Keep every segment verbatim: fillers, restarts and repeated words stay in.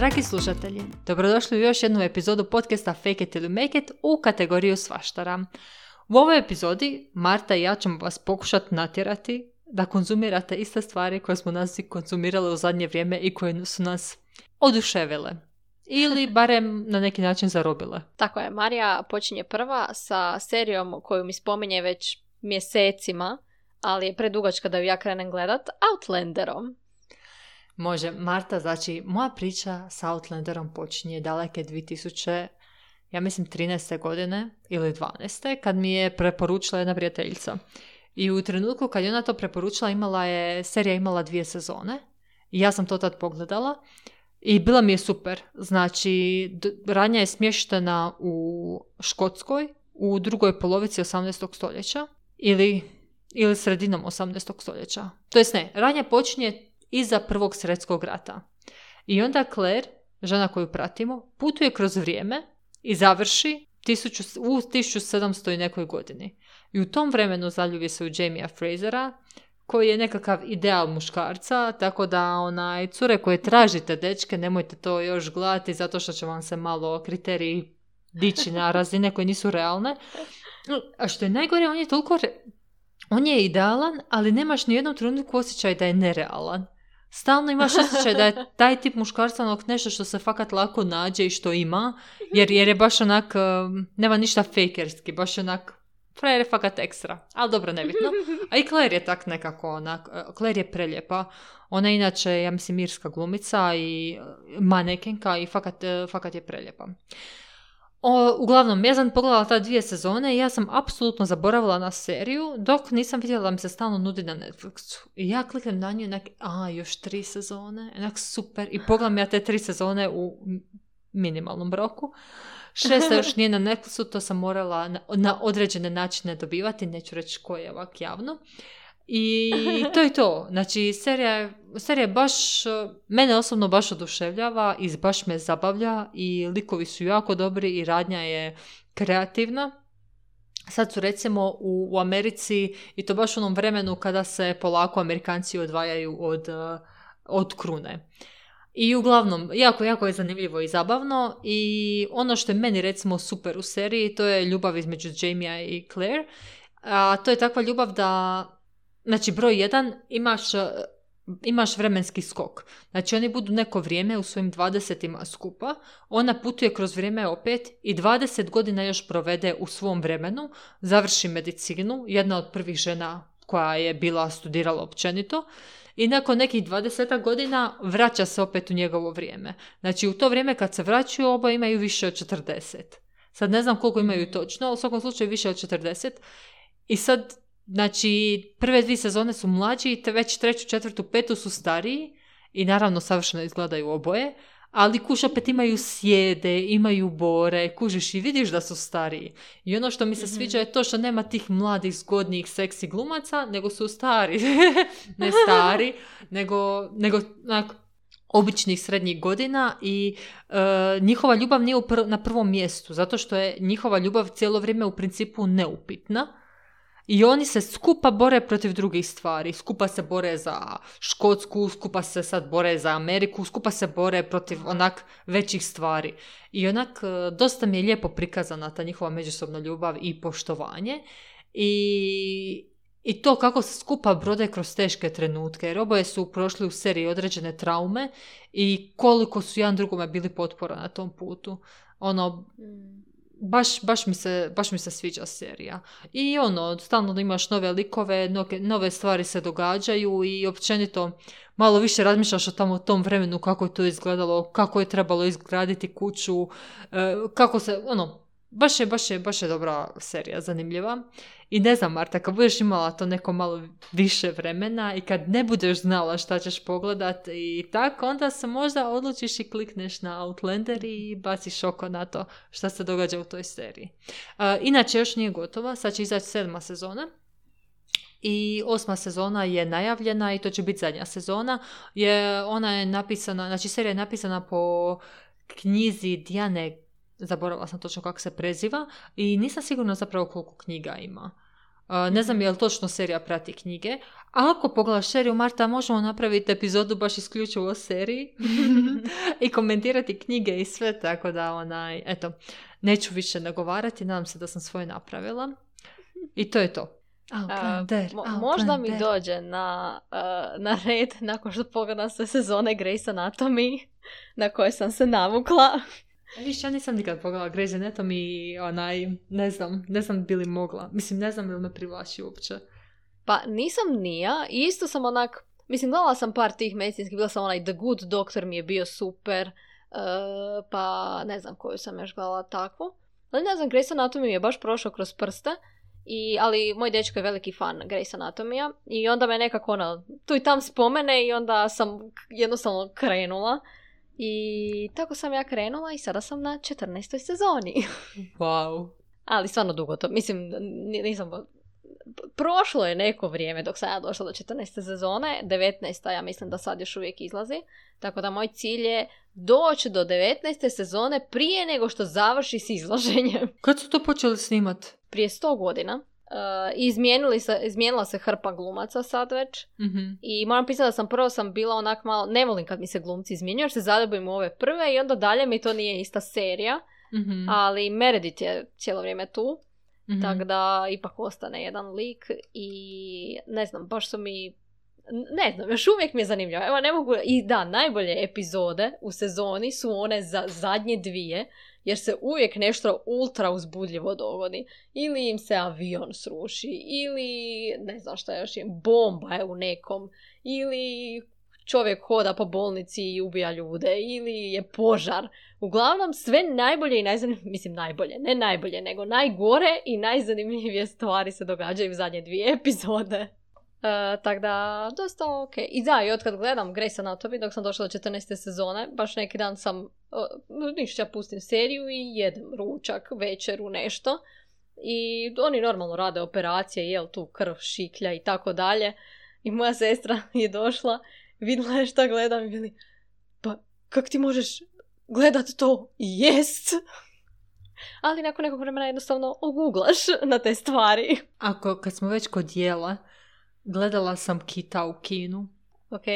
Dragi slušatelji, dobrodošli u još jednu epizodu podcasta Fake it till you make it u kategoriju svaštara. U ovoj epizodi Marta i ja ćemo vas pokušati natjerati da konzumirate iste stvari koje smo nas konzumirali u zadnje vrijeme i koje su nas oduševile. Ili barem na neki način zarobile. Tako je, Marija počinje prva sa serijom koju mi spominje već mjesecima, ali je predugačka da ju ja krenem gledat, Outlanderom. Može, Marta, znači moja priča s Outlanderom počinje daleke dvije tisuće, ja mislim trinaeste godine ili dvanaeste kad mi je preporučila jedna prijateljica. I u trenutku kad je ona to preporučila, imala je, serija imala dvije sezone i ja sam to tad pogledala i bila mi je super. Znači, d- radnja je smještena u Škotskoj u drugoj polovici osamnaestog stoljeća ili, ili sredinom osamnaestog stoljeća. To jest ne, radnja počinje iza Prvog svjetskog rata. I onda Claire, žena koju pratimo, putuje kroz vrijeme i završi tisuću, u tisuću sedamsto i nekoj godini. I u tom vremenu zaljubi se u Jamie Frasera, koji je nekakav ideal muškarca, tako da onaj cure koje tražite, dečke, nemojte to još gledati zato što će vam se malo kriteriji dići na razine koje nisu realne. A što je najgore, on je toliko... Re- on je idealan, ali nemaš ni jednom trenutku osjećaj da je nerealan. Stalno imaš osjećaj da je taj tip muškarca onak nešto što se fakat lako nađe i što ima, jer, jer je baš onak, nema ništa fejkerski, baš onak, frajer je fakat ekstra, ali dobro, nebitno. A i Claire je tak nekako onak, Claire je preljepa, ona je inače, ja mislim, irska glumica i manekenka i fakat, fakat je preljepa. O, uglavnom, ja sam pogledala ta dvije sezone i ja sam apsolutno zaboravila na seriju, dok nisam vidjela da mi se stalno nudi na Netflixu. I ja kliknem na nju i nek, a, još tri sezone, enak super. I pogledam ja te tri sezone u minimalnom roku. Šesta još nije na Netflixu, to sam morala na, na određene načine dobivati, neću reći koje je ovak javno. I to je to. Znači, serija, serija je baš, mene osobno baš oduševljava i baš me zabavlja i likovi su jako dobri i radnja je kreativna. Sad su recimo u, u Americi i to baš u onom vremenu kada se polako Amerikanci odvajaju od, od krune. I uglavnom, jako, jako je zanimljivo i zabavno i ono što je meni recimo super u seriji, to je ljubav između Jamie i Claire. A to je takva ljubav da, znači broj jedan, imaš, imaš vremenski skok. Znači oni budu neko vrijeme u svojim dvadesetima skupa, ona putuje kroz vrijeme opet i dvadeset godina još provede u svom vremenu, završi medicinu, jedna od prvih žena koja je bila studirala općenito. I nakon nekih dvadeset godina vraća se opet u njegovo vrijeme. Znači u to vrijeme kad se vraćaju oba imaju više od četrdeset. Sad ne znam koliko imaju točno, ali u svakom slučaju više od četrdeset. I sad, znači, prve dvije sezone su mlađi, te već treću, četvrtu, petu su stariji i naravno savršeno izgledaju oboje, ali kuš opet imaju sjede, imaju bore, kužiš i vidiš da su stariji. I ono što mi se sviđa je to što nema tih mladih, zgodnih, seksi glumaca, nego su stari. Ne stari, nego, nego onak, običnih srednjih godina i e, njihova ljubav nije pr- na prvom mjestu, zato što je njihova ljubav cijelo vrijeme u principu neupitna. I oni se skupa bore protiv drugih stvari. Skupa se bore za Škotsku, skupa se sad bore za Ameriku, skupa se bore protiv onak većih stvari. I onak dosta mi je lijepo prikazana ta njihova međusobna ljubav i poštovanje. I, i to kako se skupa brode kroz teške trenutke. Jer oboje su prošli u seriji određene traume i koliko su jedan drugome bili potpora na tom putu. Ono... Baš, baš, mi se, baš mi se sviđa serija. I ono, stalno imaš nove likove, nove, nove stvari se događaju i općenito malo više razmišljaš o tamo tom vremenu kako je to izgledalo, kako je trebalo izgraditi kuću, kako se, ono, baš je, baš je, baš je dobra serija, zanimljiva. I ne znam, Marta, kad budeš imala to neko malo više vremena i kad ne budeš znala šta ćeš pogledat i tako, onda se možda odlučiš i klikneš na Outlander i baciš oko na to šta se događa u toj seriji. Uh, inače, još nije gotova, sad će izaći sedma sezona. I osma sezona je najavljena i to će biti zadnja sezona. Je, ona je napisana, znači serija je napisana po knjizi Diane, zaboravila sam točno kako se preziva i nisam sigurna zapravo koliko knjiga ima. Uh, ne znam je li točno serija prati knjige. A ako pogledaš seriju, Marta, možemo napraviti epizodu baš isključivo o seriji i komentirati knjige i sve, tako da onaj, eto, neću više nagovarati, nadam se da sam svoje napravila. I to je to. Outlander, uh, mo- možda mi dođe na, uh, na red nakon što pogledam sve sezone Grey's Anatomy na koje sam se navukla. Viš, ja nisam nikad pogledala Grey's Anatomy i onaj, ne znam, ne znam bi li mogla. Mislim, ne znam ili me privlači uopće. Pa nisam ni ja, isto sam onak, mislim, gledala sam par tih medicinskih, bila sam onaj The Good Doctor mi je bio super, uh, pa ne znam koju sam još gledala takvu. Ali ne znam, Grey's Anatomy mi je baš prošao kroz prste, i, ali moj dečko je veliki fan Grey's Anatomija i onda me nekako ono, tu i tam spomene i onda sam jednostavno krenula. I tako sam ja krenula i sada sam na četrnaestoj sezoni. Wow. Ali stvarno dugo to, mislim, nisam... Prošlo je neko vrijeme dok sam ja došla do četrnaeste sezone, devetnaesta ja mislim da sad još uvijek izlazi, tako da moj cilj je doći do devetnaeste sezone prije nego što završi s izlaženjem. Kad su to počeli snimat? Prije sto godina. Uh, izmijenili se, izmijenila se hrpa glumaca sad već. Mm-hmm. I moram pisati da sam prvo sam bila onak malo, ne volim kad mi se glumci izmjenjuju jer se zaljubim u ove prve i onda dalje mi to nije ista serija. Mm-hmm. Ali Meredith je cijelo vrijeme tu. Mm-hmm. Tako da ipak ostane jedan lik i ne znam, baš su mi, ne znam, još uvijek mi je zanimljivo. Evo ne mogu, i da, najbolje epizode u sezoni su one za zadnje dvije, jer se uvijek nešto ultra uzbudljivo dogodi. Ili im se avion sruši, ili ne znam šta još je, bomba je u nekom, ili čovjek hoda po bolnici i ubija ljude, ili je požar. Uglavnom sve najbolje i najzanimljivije, mislim najbolje, ne najbolje, nego najgore i najzanimljivije stvari se događaju u zadnje dvije epizode. Uh, tako da, dosta ok. I da, i otkad gledam Grey's Anatomy, dok sam došla do četrnaeste sezone, baš neki dan sam, uh, ništa, ja pustim seriju i jedem ručak, večeru, nešto. I oni normalno rade operacije, jel tu krv šiklja i tako dalje. I moja sestra je došla, vidjela je šta gledam i bili, pa kak ti možeš gledat to i jest? Ali nakon nekog vremena jednostavno oguglaš na te stvari. Ako, kad smo već kod jela, gledala sam Kita u kinu. Ok.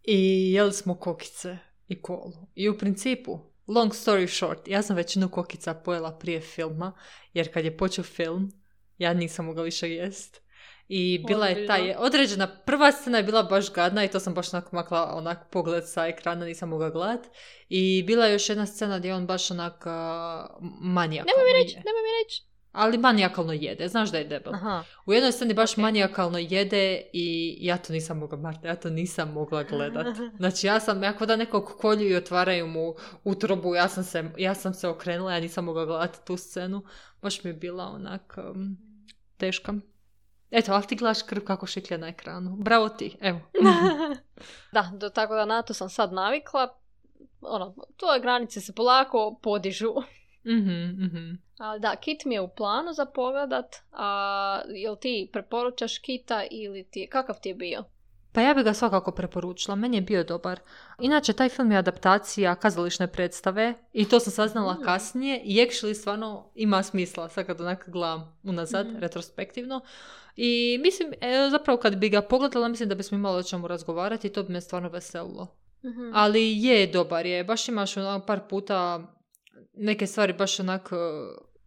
I jeli smo kokice i kolu. I u principu, long story short, ja sam većinu kokica pojela prije filma, jer kad je počeo film, ja nisam mogla više jest. I bila je ta je, određena, prva scena je bila baš gadna i to sam baš onak makla onak pogled sa ekrana, nisam mogla gledat. I bila je još jedna scena gdje on baš onak uh, manijakalno nemoj mi reći, je. nemoj mi reći. Ali manijakalno jede, znaš da je debel. Aha. U jednoj sceni baš okay. manijakalno jede i ja to nisam mogla, Marta, ja to nisam mogla gledat. Znači ja sam, ako da nekog kolju i otvaraju mu utrobu, ja sam se, ja sam se okrenula, ja nisam mogla gledati tu scenu. Baš mi je bila onak um, teška. Eto, ali ti gledaš krv kako šiklja na ekranu. Bravo ti, evo. Da, do, tako da na to sam sad navikla. Ono, tvoje granice se polako podižu. Mhm, mhm. Ali da, Kit mi je u planu za pogledat. A jel ti preporučaš Kita ili ti, kakav ti je bio? Pa ja bih ga svakako preporučila, meni je bio dobar. Inače, taj film je adaptacija kazališne predstave i to sam saznala mm. kasnije i actually stvarno ima smisla, sad kad onak gledam unazad, mm. retrospektivno. I mislim, e, zapravo kad bi ga pogledala, mislim da bismo imali o čemu razgovarati i to bi me stvarno veselilo. Mm-hmm. Ali je dobar je, baš imaš onak par puta neke stvari baš onak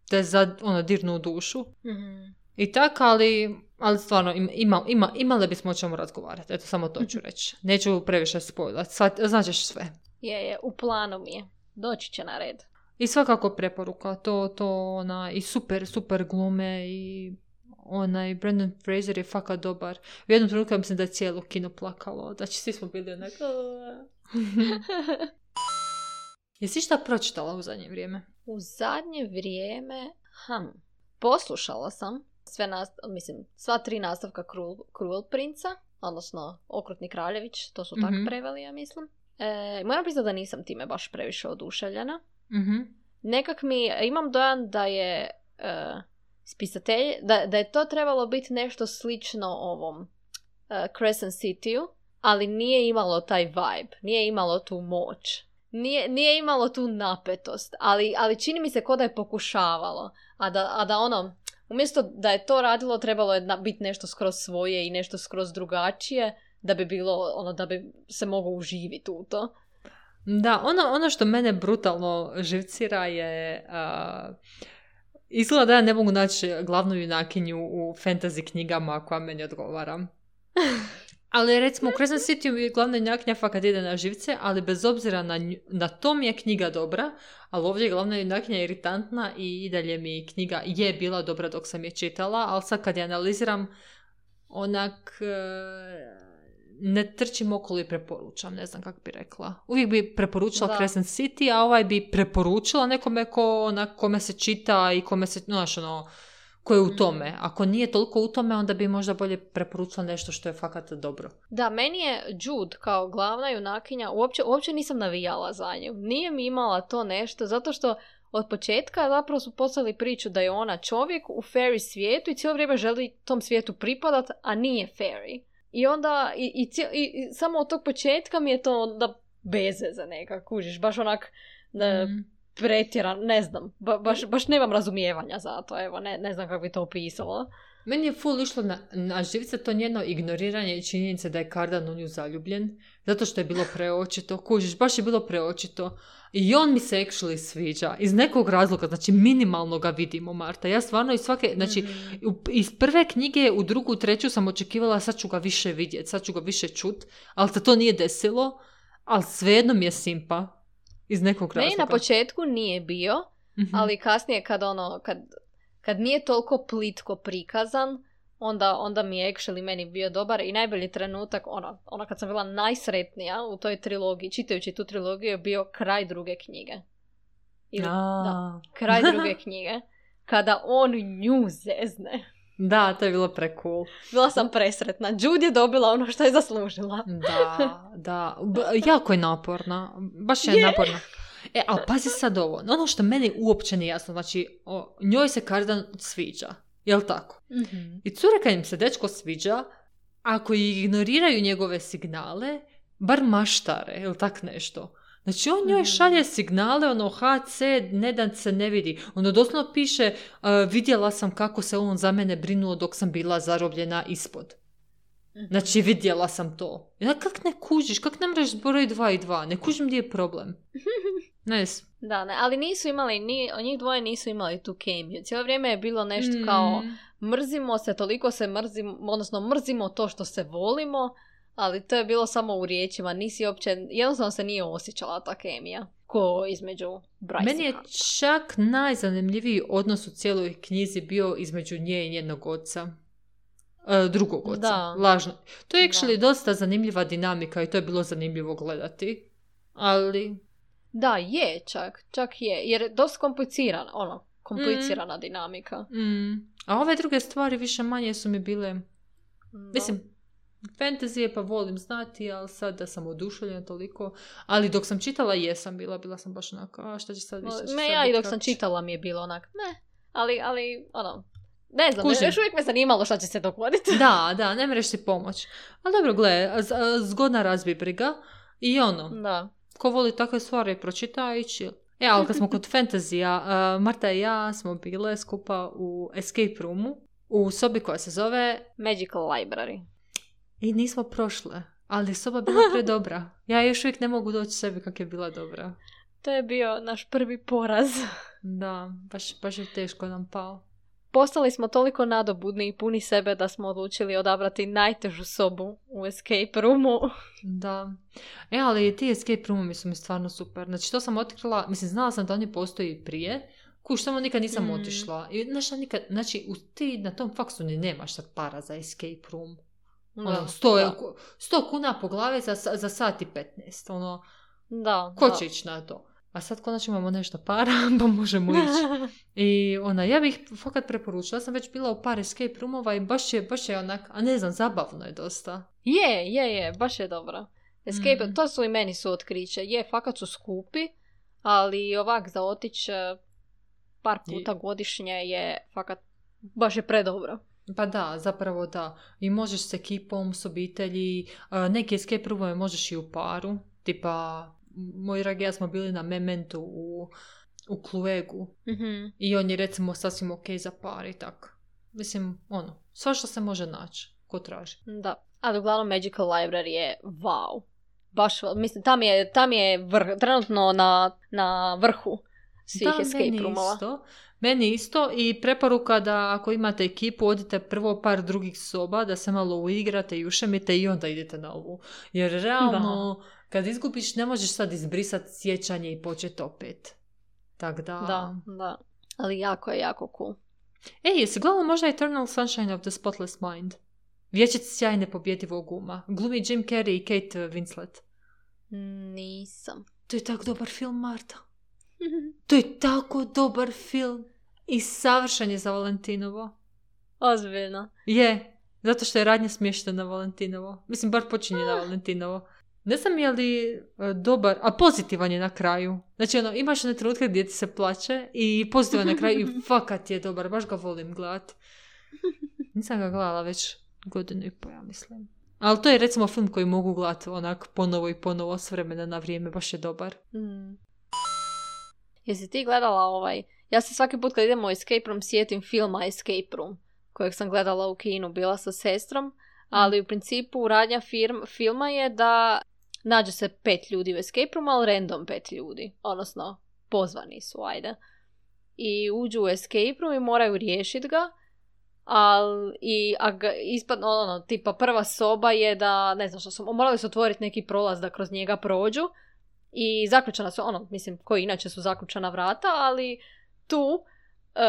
te za, ono, dirnu u dušu. Mm-hmm. I tako, ali, ali stvarno ima, ima, imali bismo o čemu razgovarati. Eto, samo to ću reći. Neću previše spojlati. Znaćeš sve. Je, je, u planu mi je. Doći će na red. I svakako preporuka. To, to, ona, i super, super glume i onaj Brendan Fraser je fakat dobar. U jednom trenutku mislim da je cijelo kino plakalo. Znači, svi smo bili onak... Jesi šta pročitala u zadnje vrijeme? U zadnje vrijeme... Hm, poslušala sam sve nastav, mislim, sva tri nastavka Cruel, Cruel Princa, odnosno Okrutni kraljević, to su mm-hmm. tak preveli, ja mislim. E, moram priznati da nisam time baš previše oduševljena. Mm-hmm. Nekak mi, imam dojam da je e, spisatelj, da, da je to trebalo biti nešto slično ovom e, Crescent City-u, ali nije imalo taj vibe, nije imalo tu moć. Nije, nije imalo tu napetost, ali, ali čini mi se kao da je pokušavalo. A da, a da ono, Umjesto da je to radilo, trebalo je na, biti nešto skroz svoje i nešto skroz drugačije, da bi bilo, ono, da bi se moglo uživiti u to. Da, ono, ono što mene brutalno živcira je... Uh, izgleda da ja ne mogu naći glavnu junakinju u fantasy knjigama koja meni odgovara. Ali recimo u Crescent City glavna junakinja fakat ide na živce, ali bez obzira na, nju, na to mi je knjiga dobra, ali ovdje je glavna junakinja iritantna i i dalje mi knjiga je bila dobra dok sam je čitala, ali sad kad je analiziram, onak ne trčim okolo i preporučam, ne znam kako bi rekla. Uvijek bi preporučila da. Crescent City, a ovaj bi preporučila nekome ko, onak, kome se čita i kome se, znaš, ono, ko je u tome. Ako nije toliko u tome, onda bi možda bolje preporučila nešto što je fakat dobro. Da, meni je Jude kao glavna junakinja, uopće, uopće nisam navijala za nju. Nije mi imala to nešto, zato što od početka zapravo su poslali priču da je ona čovjek u fairy svijetu i cijelo vrijeme želi tom svijetu pripadat, a nije fairy. I onda, i, i, cijel, i, i samo od tog početka mi je to onda beze za neka, kužiš, baš onak da, mm. pretjeran, ne znam, ba, baš, baš nemam razumijevanja za to, evo, ne, ne znam kako bi to opisala. Meni je full išlo na, na živce to njeno ignoriranje i činjenice da je Cardan u nju zaljubljen, zato što je bilo preočito, kužiš, baš je bilo preočito. I on mi se actually sviđa, iz nekog razloga, znači minimalno ga vidimo, Marta. Ja stvarno iz svake, znači mm-hmm. iz prve knjige u drugu, u treću sam očekivala sad ću ga više vidjeti, sad ću ga više čut, ali se to nije desilo, ali svejedno mi je simpa, iz nekog razloga. Meni na početku nije bio, mm-hmm. ali kasnije kad ono, kad, kad nije toliko plitko prikazan, Onda, onda mi je actually meni bio dobar i najbolji trenutak, ono, ono kad sam bila najsretnija u toj trilogiji, čitajući tu trilogiju, je bio kraj druge knjige. Ili, da, kraj druge knjige. Kada on nju zezne. Da, to je bilo pre-cool. Bila sam presretna. Jude je dobila ono što je zaslužila. Da, da. B- jako je naporna. Baš je, je. naporna. E, ali pazi sad ovo. Ono što meni uopće nije jasno, znači, o, njoj se Cardan sviđa. Jel tako? Mm-hmm. I cure kad im se dečko sviđa, ako ignoriraju njegove signale, bar maštare, jel tak nešto? Znači on njoj šalje signale, ono ha ce, ne dan se ne vidi. Ono doslovno piše, uh, vidjela sam kako se on za mene brinuo dok sam bila zarobljena ispod. Znači vidjela sam to. Ja, kak ne kužiš, kak ne mreš broj dva i dva? Ne kužim gdje je problem. Ne. Da, ne, ali nisu imali, ni, njih dvoje nisu imali tu kemiju. Cijelo vrijeme je bilo nešto mm. kao mrzimo se, toliko se mrzimo, odnosno mrzimo to što se volimo, ali to je bilo samo u riječima. Nisi uopće, jednostavno se nije osjećala ta kemija ko između Bryce. Meni je čak najzanimljiviji odnos u cijeloj knjizi bio između nje i njenog oca. E, drugog oca, da. Lažno. To je actually da. dosta zanimljiva dinamika i to je bilo zanimljivo gledati. Ali... Da, je čak, čak je, jer je dosta komplicirana, ono, komplicirana mm. dinamika. Mm. A ove druge stvari više manje su mi bile, da. Mislim, fantazije pa volim znati, ali sad da sam oduševljena toliko, ali dok sam čitala jesam bila, bila sam baš onako, a šta će sad više? Me ja i dok sam čitala mi je bilo onak, ne, ali, ali, ono, ne znam, Kužim. još uvijek me zanimalo šta će se dogoditi. Da, da, ne mreš si pomoć. Ali dobro, gle, zgodna razbi briga i ono. Da. Ko voli takve stvari, pročita i chill. E, ali kad smo kod fantazija, uh, Marta i ja smo bile skupa u escape roomu, u sobi koja se zove Magical Library. I nismo prošle, ali soba bila predobra. Ja još uvijek ne mogu doći sebi kak je bila dobra. To je bio naš prvi poraz. Da, baš, baš je teško nam pao. Postali smo toliko nadobudni i puni sebe da smo odlučili odabrati najtežu sobu u escape roomu. Da. E, ali ti escape roomovi su mi stvarno super. Znači, to sam otkrila, mislim, znala sam da oni postoji prije. Kuš, samo nikad nisam mm. otišla. I, znaš, nikad, znači, u, ti na tom faksu ni nemaš sad para za escape room. Ono, sto kuna po glavi za, za sat i petnaest. Ono, da, ko da. će ići na to? A sad konačno imamo nešto para, pa možemo ići. I ona, ja bih fakat preporučila. Ja sam već bila u par escape roomova i baš je, baš je onak, a ne znam, zabavno je dosta. Je, je, je, baš je dobro. Escape, mm. to su i meni su otkriće. Je, fakat su skupi, ali ovak za otić par puta je. godišnje je fakat, baš je predobro. Pa da, zapravo da. I možeš s ekipom, s obitelji, neki escape roomove možeš i u paru, tipa... Moj dragi ja smo bili na Mementu u, u Kluegu. Mm-hmm. I on je recimo sasvim ok za par i tak. mislim, ono, sve što se može naći, ko traži. Da, ali uglavnom Magical Library je wow. Baš, mislim, tam je, tam je vrh, trenutno na, na vrhu svih da, escape roomova. Isto. Meni isto i preporuka da ako imate ekipu, odite prvo par drugih soba, da se malo uigrate i ušemite i onda idete na ovu. Jer realno, da. Kad izgubiš, ne možeš sad izbrisati sjećanje i početi opet. Tak da... Da, da. Ali jako je, jako cool. Ej, jesi gledala možda Eternal Sunshine of the Spotless Mind? Vječnici sjajne pobjedivog uma. Glumi Jim Carrey i Kate Winslet. Nisam. To je tako dobar film, Marta. To je tako dobar film. I savršen je za Valentinovo. Ozbiljno. Je, zato što je radnja smještena na Valentinovo. Mislim, bar počinje na Valentinovo. Ne znam je li uh, dobar, a pozitivan je na kraju. Znači, ono, imaš one trenutke gdje ti se plače i pozitivan na kraju i fakat je dobar. Baš ga volim gledat. Nisam ga gledala već godinu i po, ja mislim. Ali to je recimo film koji mogu gledati onak ponovo i ponovo s vremena na vrijeme. Baš je dobar. Mm. Jesi ti gledala ovaj... Ja se svaki put kad idemo u escape room sjetim filma Escape Room, kojeg sam gledala u kinu, bila sa sestrom, ali u principu radnja firm, filma je da nađe se pet ljudi u escape room, ali random pet ljudi, odnosno pozvani su, ajde. I uđu u escape room i moraju riješiti ga, ali i ispadno, ono, tipa prva soba je da, ne znam što su, morali su otvoriti neki prolaz da kroz njega prođu i zaključana su, ono, mislim, koji inače su zaključana vrata, ali tu, uh,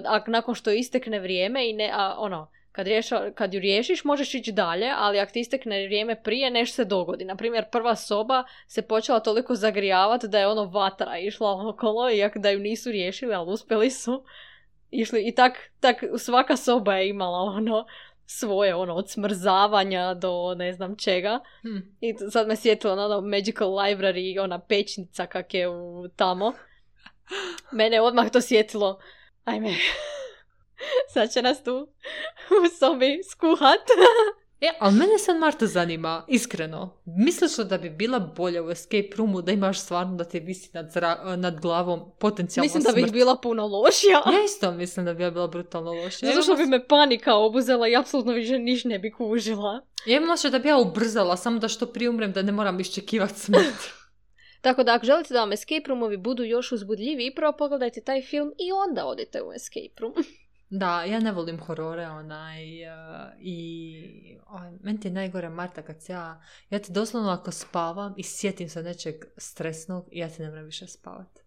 a nakon što istekne vrijeme i ne, a, ono, kad, riješa, kad ju riješiš možeš ići dalje, ali ako ti istekne vrijeme prije, nešto se dogodi. Naprimjer, prva soba se počela toliko zagrijavati da je ono vatra išla okolo, iako da ju nisu riješili, ali uspjeli su. Išli, i tak, tak svaka soba je imala ono svoje, ono, od smrzavanja do ne znam čega. Hmm. I sad me sjetilo na ono Magical Library i ona pećnica kak je u tamo. Mene odmah to sjetilo. Ajme, sad će nas tu u sobi skuhat. E, ali mene sad Marta zanima, iskreno. Misliš li da bi bila bolja u escape roomu da imaš stvarno da te visi nad, zra- nad glavom potencijalno smrt? Mislim da bi bila puno lošija. Ja isto mislim da bi ja bila brutalno lošija. Zato što bi me panika obuzela i apsolutno više niš ne bi kužila. Ja imam da bi ja ubrzala, samo da što prije umrem da ne moram iščekivati smrt. Tako da ako želite da vam escape roomovi budu još uzbudljiviji, prvo pogledajte taj film i onda odite u escape room. Da, ja ne volim horore, onaj, uh, i oj, meni ti je najgore, Marta, kad ja, ja ti doslovno ako spavam i sjetim se nečeg stresnog, ja ti ne moram više spavati.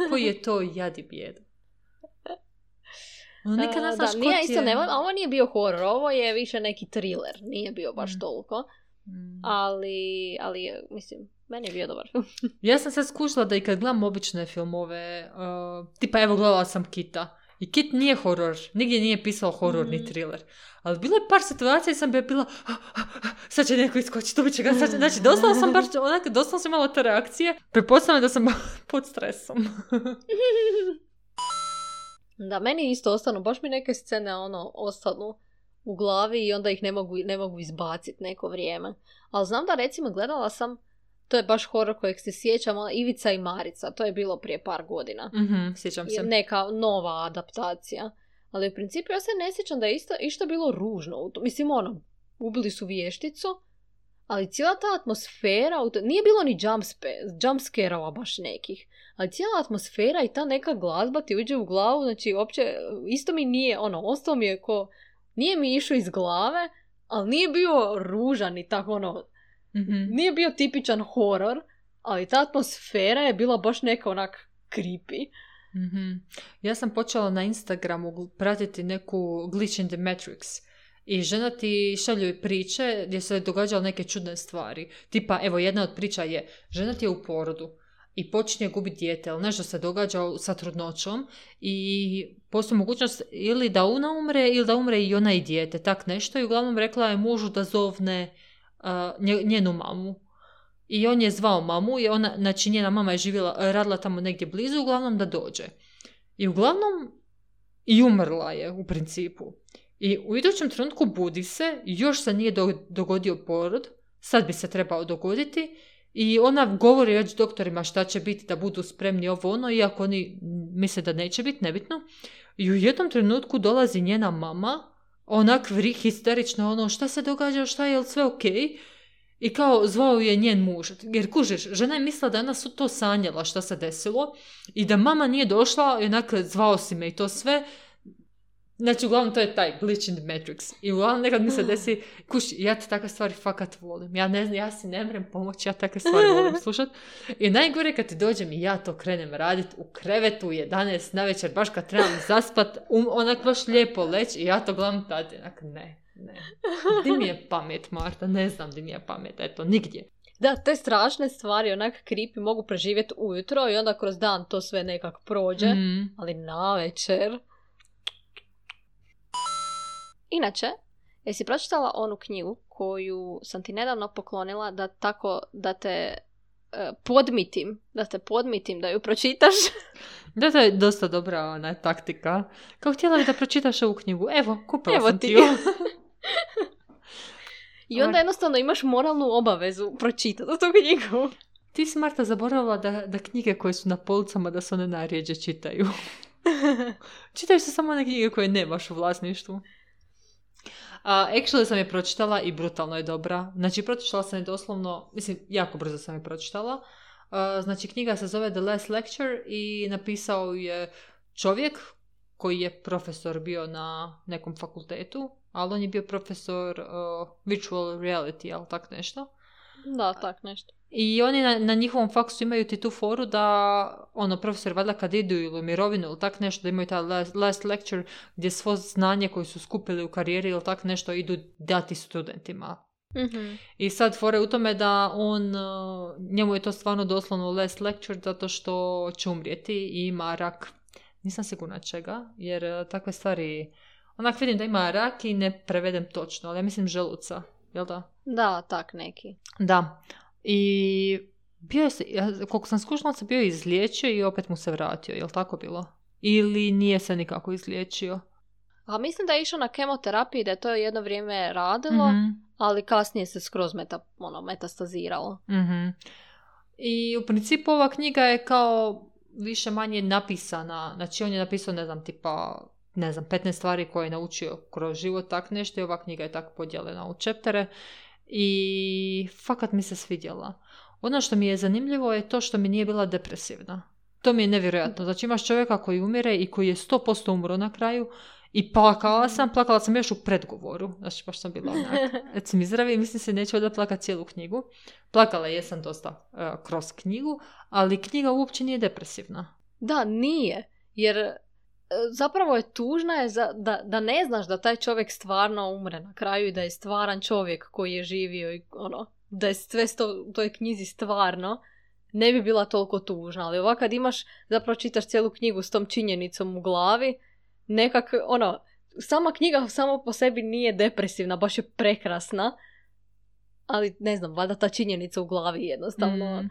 Koji je to jad i bijeda? No, nikad ne znaš da, nije isto, ne, ovo nije bio horor, ovo je više neki thriller, nije bio baš mm. toliko, mm. ali, ali, mislim, meni je bio dobar film. Ja sam sad skušala da i kad gledam obične filmove, uh, tipa evo gledala sam Kita, i Kit nije horor, nigdje nije pisao horor mm. ni thriller. Ali bilo je par situacija i sam bi bila, ah, ah, ah, sad će neko iskočiti, dobit će ga, sad će, znači doslovno sam baš, onak, doslovno sam imala te reakcije, pretpostavljam da sam pod stresom. Da, meni isto ostanu, baš mi neke scene, ono, ostanu u glavi i onda ih ne mogu, ne mogu izbaciti neko vrijeme. Ali znam da, recimo, gledala sam, to je baš horor kojeg se sjećam, Ivica i Marica, to je bilo prije par godina. Mm-hmm, sjećam se. Neka nova adaptacija. Ali u principu ja se ne sjećam da je isto, išto bilo ružno. Mislim, ono, ubili su vješticu, ali cijela ta atmosfera, nije bilo ni jumpscare-ova baš nekih, ali cijela atmosfera i ta neka glazba ti uđe u glavu, znači uopće, isto mi nije, ono, ostalo mi je ko, nije mi išao iz glave, ali nije bio ružan i tako, ono, mm-hmm. nije bio tipičan horor, ali ta atmosfera je bila baš neka onak creepy. Mm-hmm. Ja sam počela na Instagramu pratiti neku Glitch in the Matrix i žena ti šalju priče gdje se događale neke čudne stvari. Tipa, evo, jedna od priča je, žena ti je u porodu i počinje gubiti dijete, ali nešto se događa sa trudnoćom i postoji mogućnost ili da ona umre ili da umre i ona i dijete, tak nešto, i uglavnom rekla je mužu da zovne uh, njenu mamu. I on je zvao mamu i ona, znači njena mama je živjela, radila tamo negdje blizu, uglavnom da dođe. I uglavnom i umrla je u principu. I u idućem trenutku budi se, još se nije do, dogodio porod, sad bi se trebao dogoditi, i ona govori već doktorima šta će biti, da budu spremni ovo ono, iako oni misle da neće biti, nebitno. I u jednom trenutku dolazi njena mama onak vri, histerično, ono, šta se događa, šta je, je li sve okej? Okay? I kao zvao je njen muž. Jer kužiš, žena je mislila da je ona su to sanjala šta se desilo i da mama nije došla i onak zvao si me i to sve. Znači, uglavnom, to je taj glitch in the Matrix. I uglavnom, nekad mi se desi, kuš, ja te takve stvari fakat volim. Ja ne znam, ja si ne mrem pomoći, ja takve stvari volim slušat. I najgore kad ti dođem i ja to krenem radit u krevetu u jedanaest navečer, baš kad trebam zaspat, um, onak baš lijepo leći i ja to gledam tada, onak, ne, ne. Di mi je pamet, Marta? Ne znam di mi je pamet, eto, nigdje. Da, te strašne stvari, onak creepy, mogu preživjeti ujutro i onda kroz dan to sve nekak prođe, mm. ali navečer... Inače, jesi pročitala onu knjigu koju sam ti nedavno poklonila da tako da te uh, podmitim, da te podmitim da ju pročitaš? Da, to je dosta dobra ona taktika. Kao htjela bi da pročitaš ovu knjigu. Evo, kupila Evo sam ti ti ju. I onda jednostavno imaš moralnu obavezu pročitati tu knjigu. Ti si, Marta, zaboravila da, da knjige koje su na policama da se one najrjeđe čitaju. Čitaju se samo one knjige koje nemaš u vlasništvu. Uh, actually sam je pročitala i brutalno je dobra. Znači, pročitala sam je doslovno, mislim, jako brzo sam je pročitala. Uh, znači, knjiga se zove The Last Lecture i napisao je čovjek koji je profesor bio na nekom fakultetu, ali on je bio profesor uh, virtual reality, ali tak nešto. Da, tak nešto. I oni na, na njihovom faksu imaju ti tu foru da, ono, profesor valjda kad idu ili u mirovinu ili tak nešto, da imaju taj last, last lecture gdje svo znanje koje su skupili u karijeri ili tak nešto idu dati studentima. Mm-hmm. I sad fora je u tome da on, njemu je to stvarno doslovno last lecture zato što će umrijeti i ima rak. Nisam sigurna čega, jer takve stvari, onak vidim da ima rak i ne prevedem točno, ali ja mislim želuca, jel da? Da, tak neki. Da. I bio je se, koliko sam skušala, se bio izliječio i opet mu se vratio, je li tako bilo? Ili nije se nikako izliječio? A mislim da je išao na kemoterapiji, da je to jedno vrijeme radilo, mm-hmm. ali kasnije se skroz meta, ono, metastaziralo. Mm-hmm. I u principu ova knjiga je kao više manje napisana, znači on je napisao, ne znam, tipa, ne znam, petnaest stvari koje je naučio kroz život, tak nešto, i ova knjiga je tako podijeljena u čeptere. I fakat mi se svidjela. Ono što mi je zanimljivo je to što mi nije bila depresivna. To mi je nevjerojatno. Znači imaš čovjeka koji umire i koji je sto posto umro na kraju i plakala sam, plakala sam još u predgovoru. Znači baš sam bila onak. Et sam izravi i mislim se neću da plakati cijelu knjigu. Plakala jesam dosta uh, kroz knjigu, ali knjiga uopće nije depresivna. Da, nije. Jer zapravo je tužna je za, da, da ne znaš da taj čovjek stvarno umre na kraju i da je stvaran čovjek koji je živio i ono, da je sve sto, u toj knjizi stvarno, ne bi bila toliko tužna. Ali ovako kad imaš, zapravo čitaš cijelu knjigu s tom činjenicom u glavi, nekak, ono, sama knjiga samo po sebi nije depresivna, baš je prekrasna, ali ne znam, valjda ta činjenica u glavi jednostavno mm.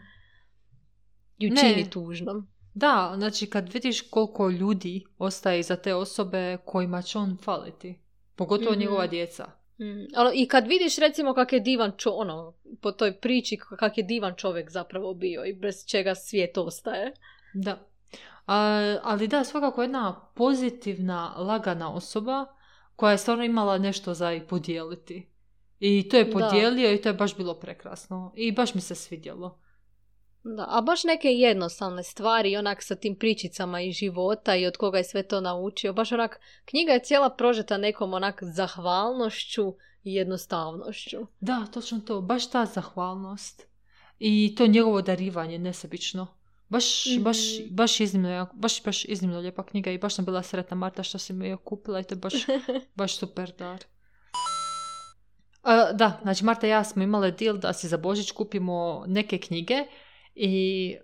ju čini tužnom. Da, znači kad vidiš koliko ljudi ostaje iza te osobe kojima će on faliti. Pogotovo mm-hmm. njegova djeca. Mm. I kad vidiš recimo kak je divan čo, ono, po toj priči kak je divan čovjek zapravo bio i bez čega svijet ostaje. Da. A, ali da, svakako jedna pozitivna, lagana osoba koja je stvarno imala nešto za i podijeliti. I to je podijelio da. I to je baš bilo prekrasno. I baš mi se svidjelo. Da, a baš neke jednostavne stvari, onak sa tim pričicama iz života i od koga je sve to naučio. Baš onak, knjiga je cijela prožeta nekom onak zahvalnošću i jednostavnošću. Da, točno to. Baš ta zahvalnost. I to njegovo darivanje nesebično. Baš, mm-hmm. baš, baš iznimno, baš, baš iznimno lijepa knjiga i baš sam bila sretna, Marta, što si mi je kupila i to je baš, baš super dar. Uh, da, znači Marta i ja smo imale deal da si za Božić kupimo neke knjige i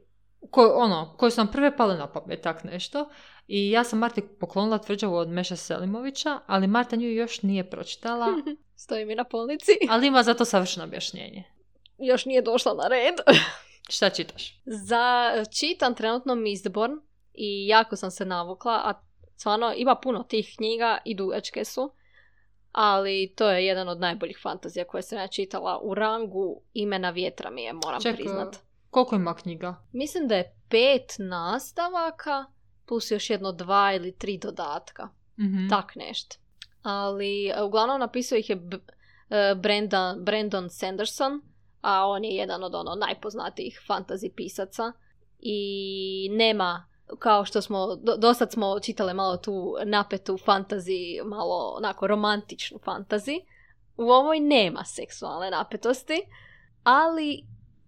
ko, ono, koje su nam prve pale na pamet, tak nešto. I ja sam Marti poklonila Tvrđavu od Meše Selimovića, ali Marta nju još nije pročitala. Stoji mi na polici. Ali ima zato savršeno objašnjenje. Još nije došla na red. Šta čitaš? Za, čitam trenutno Mistborn i jako sam se navukla, a stvarno ima puno tih knjiga i dugačke su, ali to je jedan od najboljih fantazija koje sam ja čitala. U rangu Imena vjetra mi je, moram Ček, priznat. Koliko ima knjiga? Mislim da je pet nastavaka plus još jedno dva ili tri dodatka. Mm-hmm. Tak nešto. ali uglavnom napisao ih je B- Brandon, Brandon Sanderson, a on je jedan od ono najpoznatijih fantasy pisaca i nema, kao što smo, do, dosad smo čitale malo tu napetu fantasy, malo onako romantičnu fantasy. U ovoj nema seksualne napetosti, ali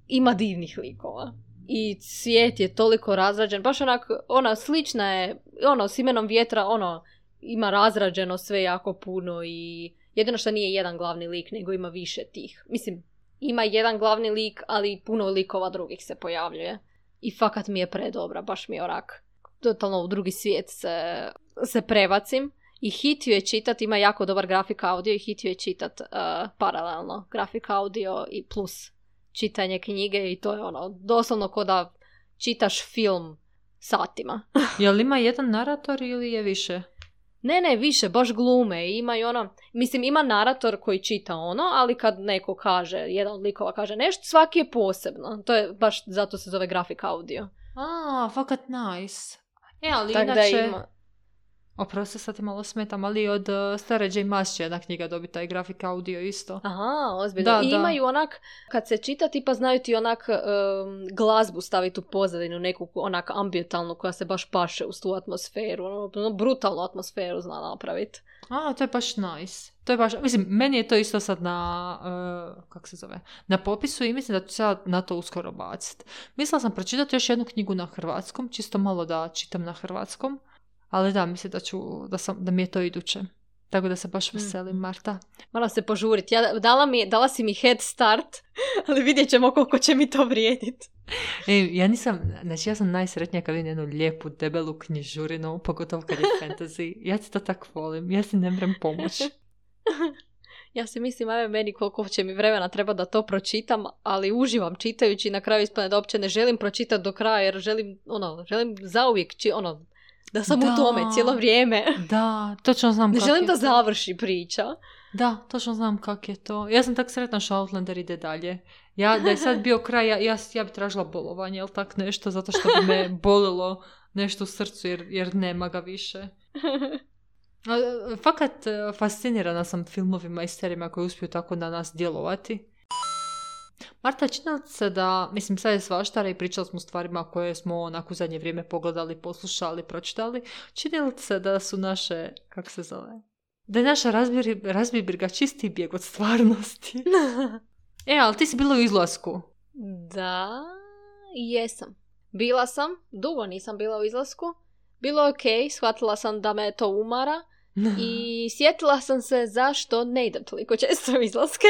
ima divnih likova. I svijet je toliko razrađen, baš onak, ona slična je, ono, s Imenom vjetra, ono, ima razrađeno sve jako puno i jedino što nije jedan glavni lik, nego ima više tih. Mislim, ima jedan glavni lik, ali puno likova drugih se pojavljuje. I fakat mi je predobra, baš mi je onak. Totalno u drugi svijet se, se prebacim. I hitio je čitat, ima jako dobar grafik audio i hitio je čitat uh, paralelno. Grafik audio i plus čitanje knjige i to je ono, doslovno ko da čitaš film satima. Je li ima jedan narator ili je više? Ne, ne, više, baš glume. Ima i ono, mislim, ima narator koji čita ono, ali kad neko kaže, jedan od likova kaže nešto, svaki je posebno. To je baš, zato se zove grafik audio. A, fakat nice. E, ali tak inače... Ima... Oprosti, sad ti malo smetam, ali od uh, Stare J. Maas će jedna knjiga dobiti taj grafik audio isto. Aha, ozbiljno. Da, I da. imaju onak, kad se čita, tipa znaju ti onak um, glazbu staviti u pozadinu, neku onak ambientalnu koja se baš paše uz tu atmosferu. Ono, brutalnu atmosferu zna napraviti. A, to je baš nice. To je baš, mislim, meni je to isto sad na, uh, kak se zove, na popisu i mislim da ću sad na to uskoro baciti. Mislila sam pročitati još jednu knjigu na hrvatskom, čisto malo da čitam na hrvatskom. Ali da, mislim da, ću, da, sam, da mi je to iduće. Tako da se baš veselim, Marta. Moram se požuriti. Ja, dala, mi, dala si mi head start, ali vidjet ćemo koliko će mi to vrijediti. E, ja nisam, znači ja sam najsretnija kad vidim jednu lijepu, debelu knjižurinu, pogotovo kad je fantasy. Ja ti to tako volim, ja si ne mrem pomoći. Ja si mislim, ajme meni koliko će mi vremena treba da to pročitam, ali uživam čitajući i na kraju ispane da uopće ne želim pročitati do kraja, jer želim, ono, želim zauvijek, či, ono, da sam da, u tome cijelo vrijeme. Da, točno znam ne kak želim je da to. završi priča. Da, točno znam kak je to. Ja sam tak sretna što Outlander ide dalje. Ja, da je sad bio kraj, ja, ja, ja bi tražila bolovanje, jel tak nešto, zato što bi me bolilo nešto u srcu, jer, jer nema ga više. Fakat fascinirana sam filmovima i serijima koji uspiju tako na nas djelovati. Marta, čini li se da, mislim sad je svaštara i pričali smo o stvarima koje smo onako u zadnje vrijeme pogledali, poslušali, pročitali, čini li se da su naše, kako se zove, da je naša razbibriga čisti bijeg od stvarnosti? E, ali ti si bila u izlasku. Da, jesam. Bila sam, dugo nisam bila u izlasku, bilo je okej, shvatila sam da me to umara i sjetila sam se zašto ne idem toliko često u izlaske.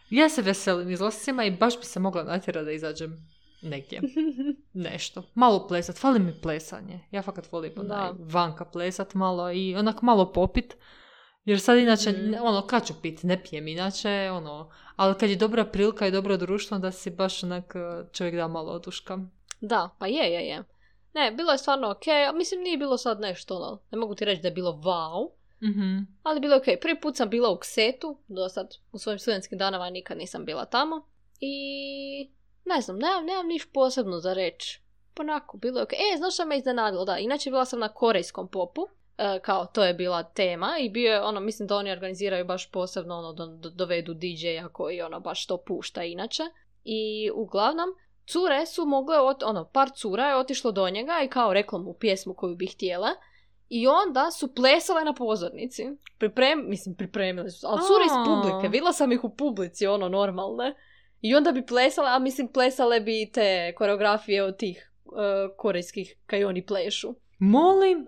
Ja se veselim izlascima i baš bi se mogla natjerati da izađem negdje. Nešto. Malo plesat. Fali mi plesanje. Ja fakat volim onaj vanka plesat malo i onak malo popit. Jer sad inače, mm. ono, kad ću pit, ne pijem inače, ono, ali kad je dobra prilika i dobro društvo, da si baš onak čovjek da malo oduška. Da, pa je, je, je. Ne, bilo je stvarno okej, okay. Mislim nije bilo sad nešto, ono, ne mogu ti reći da je bilo wow. Mm-hmm. Ali bilo je okej. Okay. Prvi put sam bila u Ksetu, do sad u svojim studentskim danama nikad nisam bila tamo. I ne znam, nemam, nemam niš posebno za reći. Ponako, bilo je okej. Okay. E, znaš što me iznenadilo? Da, inače bila sam na korejskom popu, e, kao to je bila tema i bio je, ono, mislim da oni organiziraju baš posebno, ono, do, do, dovedu D J-a koji, ono, baš to pušta inače. I uglavnom, cure su mogle, ot, ono, par cura je otišlo do njega i kao reklo mu pjesmu koju bi htjela. I onda su plesale na pozornici. Priprem, mislim, pripremili su. Ali cure iz publike. Vidjela sam ih u publici, ono, normalne. I onda bi plesale, a mislim, plesale bi te koreografije od tih uh, korejskih kaj oni plešu. Molim?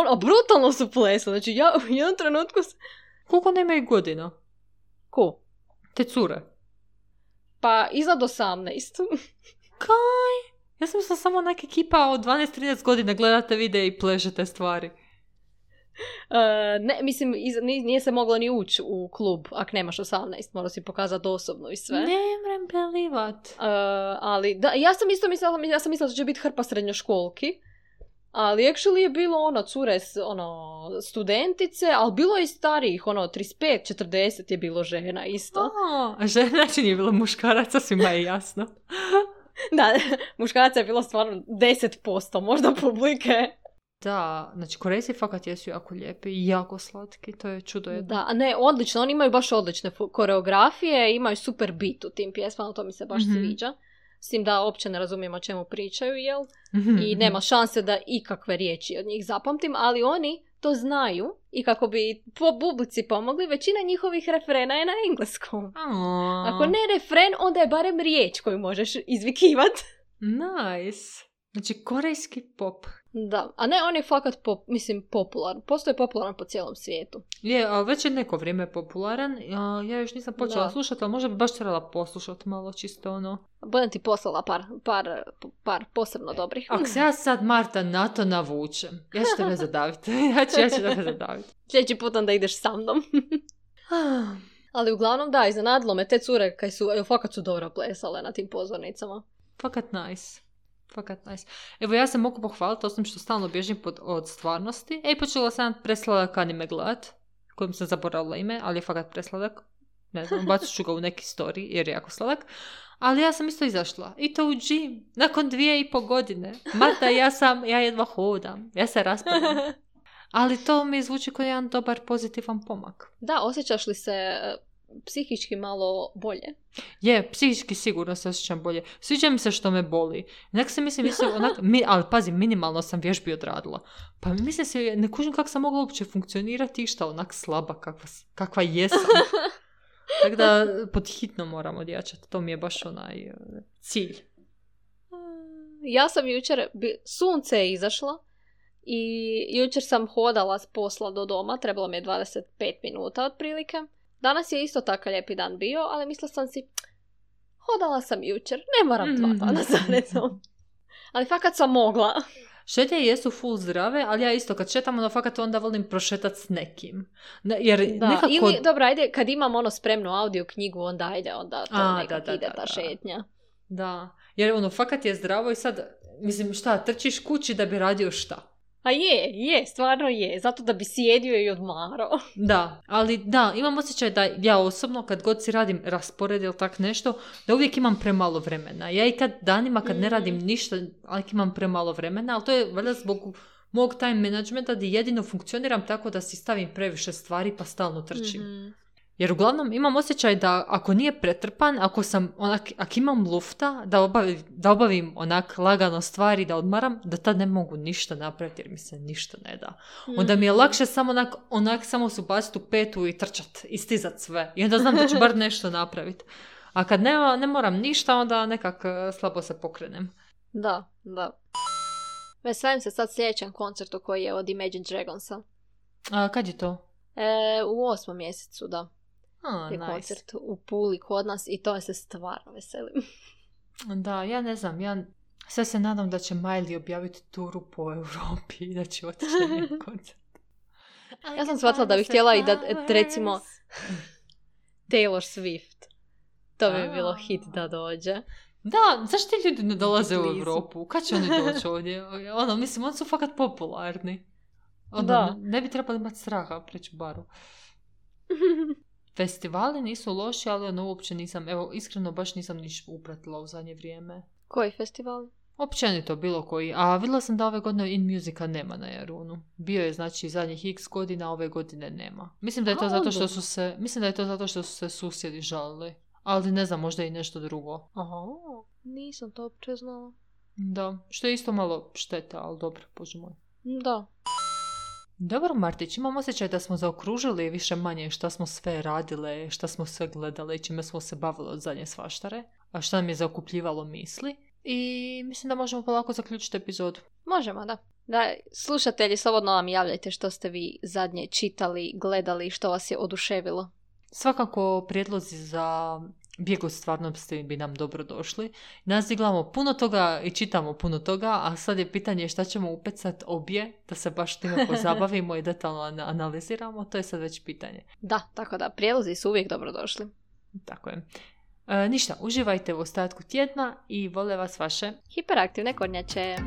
A brutalno su plesale. Znači, ja u jednom trenutku... Koliko ne imaju godina? Ko? Te cure. Pa, iznad osamnaest. Kaj? Ja sam mislila samo neka ekipa od dvanaest trinaest godina gledate videe i pležete stvari. Uh, ne, mislim, iz, nije se moglo ni ući u klub ako nemaš osamnaest, mora si pokazati osobno i sve. Ne mrem belivat. Uh, ali, da, ja sam isto mislila, ja sam mislila da će biti hrpa srednjoškolki, ali actually je bilo ono, cure, ono, studentice, ali bilo je i starijih, ono, trideset pet četrdeset je bilo žena isto. Oh, a žena znači nije bilo muškaraca, svima je jasno. Da, muškaraca je bilo stvarno deset posto možda publike. Da, znači Korejci fakat jesu jako lijepi i jako slatki, to je čudo jedno. Da, a ne, odlično, oni imaju baš odlične koreografije, imaju super beat u tim pjesmama, to mi se baš mm-hmm. sviđa. S tim da uopće ne razumijem o čemu pričaju, jel? Mm-hmm. I nema šanse da ikakve riječi od njih zapamtim, ali oni to znaju i kako bi po publici pomogli, većina njihovih refrena je na engleskom. Aww. Ako ne refren, onda je barem riječ koju možeš izvikivat. Nice. Znači, korejski pop. Da, a ne, on je fakat, pop, mislim, popularan. Postoje popularan po cijelom svijetu. Je, a već je neko vrijeme popularan. A, ja još nisam počela da. slušati, ali možda bi baš trebala poslušati malo čisto ono. Budem ti poslala par, par, par posebno dobrih. Ako se ja sad, Marta, na to navučem, ja ću tebe zadaviti. ja ću, ja ću tebe zadaviti. Sljedeći put onda ideš sa mnom. Ali uglavnom da, iznenadilo me te cure kaj su, evo, fakat su dobro plesale na tim pozornicama. Fakat nice. Fakat nice. Evo, ja se mogu pohvaliti osim što stalno bježim pod, od stvarnosti. Ej, počela sam presladak anime gledat, kojim sam zaboravila ime, ali je fakat presladak. Ne znam, bacit ću ga u neki story, jer je jako sladak. Ali ja sam isto izašla. I to u gym. Nakon dvije i po godine. Marta, ja sam, ja jedva hodam. Ja se raspravljam. Ali to mi zvuči kao jedan dobar, pozitivan pomak. Da, osjećaš li se psihički malo bolje? Je, psihički sigurno se osjećam bolje. Sviđa mi se što me boli. Nek se mislim, mislim onak, mi, ali pazi, minimalno sam vježbi odradila. Pa mislim se, ne kužim kako sam mogla uopće funkcionirati išta onak slaba kakva, kakva jesam. Tako da pod hitno moram odjačati. To mi je baš onaj cilj. Ja sam jučer, sunce je izašlo i jučer sam hodala s posla do doma. Trebalo mi je dvadeset pet minuta otprilike. Danas je isto tako lijepi dan bio, ali mislila sam si, hodala sam jučer, ne moram dva dana za redom. Ali fakat sam mogla. Šetnje jesu full zdrave, ali ja isto kad šetam, ono fakat onda volim prošetat s nekim. Jer da, nekako... ili, dobro, ajde, kad imam ono spremnu audio knjigu, onda ajde, onda to A, nekak da, da, ide da, ta da. šetnja. Da, jer ono fakat je zdravo i sad, mislim, šta, trčiš kući da bi radio šta? A je, je, stvarno je. Zato da bi sjedio i odmarao. Da, ali da, imam osjećaj da ja osobno kad god si radim raspored ili tak nešto, da uvijek imam premalo vremena. Ja i kad danima kad ne radim ništa, ali imam premalo vremena, ali to je valjda zbog mog time managementa gdje jedino funkcioniram tako da si stavim previše stvari pa stalno trčim. Mm-hmm. Jer uglavnom imam osjećaj da ako nije pretrpan, ako sam onak, ako imam lufta, da obavim, da obavim onak lagano stvari, da odmaram, da tad ne mogu ništa napraviti jer mi se ništa ne da. Onda mi je lakše samo onak, onak samo se ubaciti u petu i trčat, i stizat sve. I onda znam da ću bar nešto napraviti. A kad ne, ne moram ništa, onda nekak slabo se pokrenem. Da, da. Veselim se sad sljedećem koncertu koji je od Imagine Dragonsa. A kad je to? E, u osmom mjesecu, da. Oh, je nice. Koncert u Puli kod nas i to se stvarno veselim. Da, ja ne znam, ja sve se nadam da će Miley objaviti turu po Europi i da će otići na njen koncert. Ja sam shvatila da bih htjela i da, recimo, Taylor Swift. To bi bilo hit da dođe. Da, zašto ti ljudi ne dolaze u Europu? Kad će oni doći ovdje? Ono, mislim, oni su fakat popularni. Ono, da. Ne bi trebali imati straha preći baru. Festivali nisu loši, ali ono uopće nisam, evo, iskreno baš nisam niš upratila u zadnje vrijeme. Koji festivali? Općenito, bilo koji. A vidjela sam da ove godine In Musica nema na Jarunu. Bio je, znači, zadnjih x godina, ove godine nema. Mislim da je to A, zato što su se, mislim da je to zato što su se susjedi žalili. Ali ne znam, možda i nešto drugo. Aha, nisam to uopće znala. Da, što je isto malo šteta, ali dobro, bože moj. Da. Dobro, Martić, imam osjećaj da smo zaokružili više manje šta smo sve radile, šta smo sve gledale i čime smo se bavile od zadnje svaštare, a šta nam je zaokupljivalo misli. I mislim da možemo polako zaključiti epizodu. Možemo, da. Da, slušatelji, slobodno nam javljajte što ste vi zadnje čitali, gledali, što vas je oduševilo. Svakako prijedlozi za bijeg od stvarnosti bi nam dobro došli. Nas iglamo puno toga i čitamo puno toga, a sad je pitanje šta ćemo upecat obje, da se baš time pozabavimo i detaljno analiziramo, to je sad već pitanje. Da, tako da, prijedlozi su uvijek dobro došli. Tako je. E, ništa, uživajte u ostatku tjedna i vole vas vaše hiperaktivne kornjače.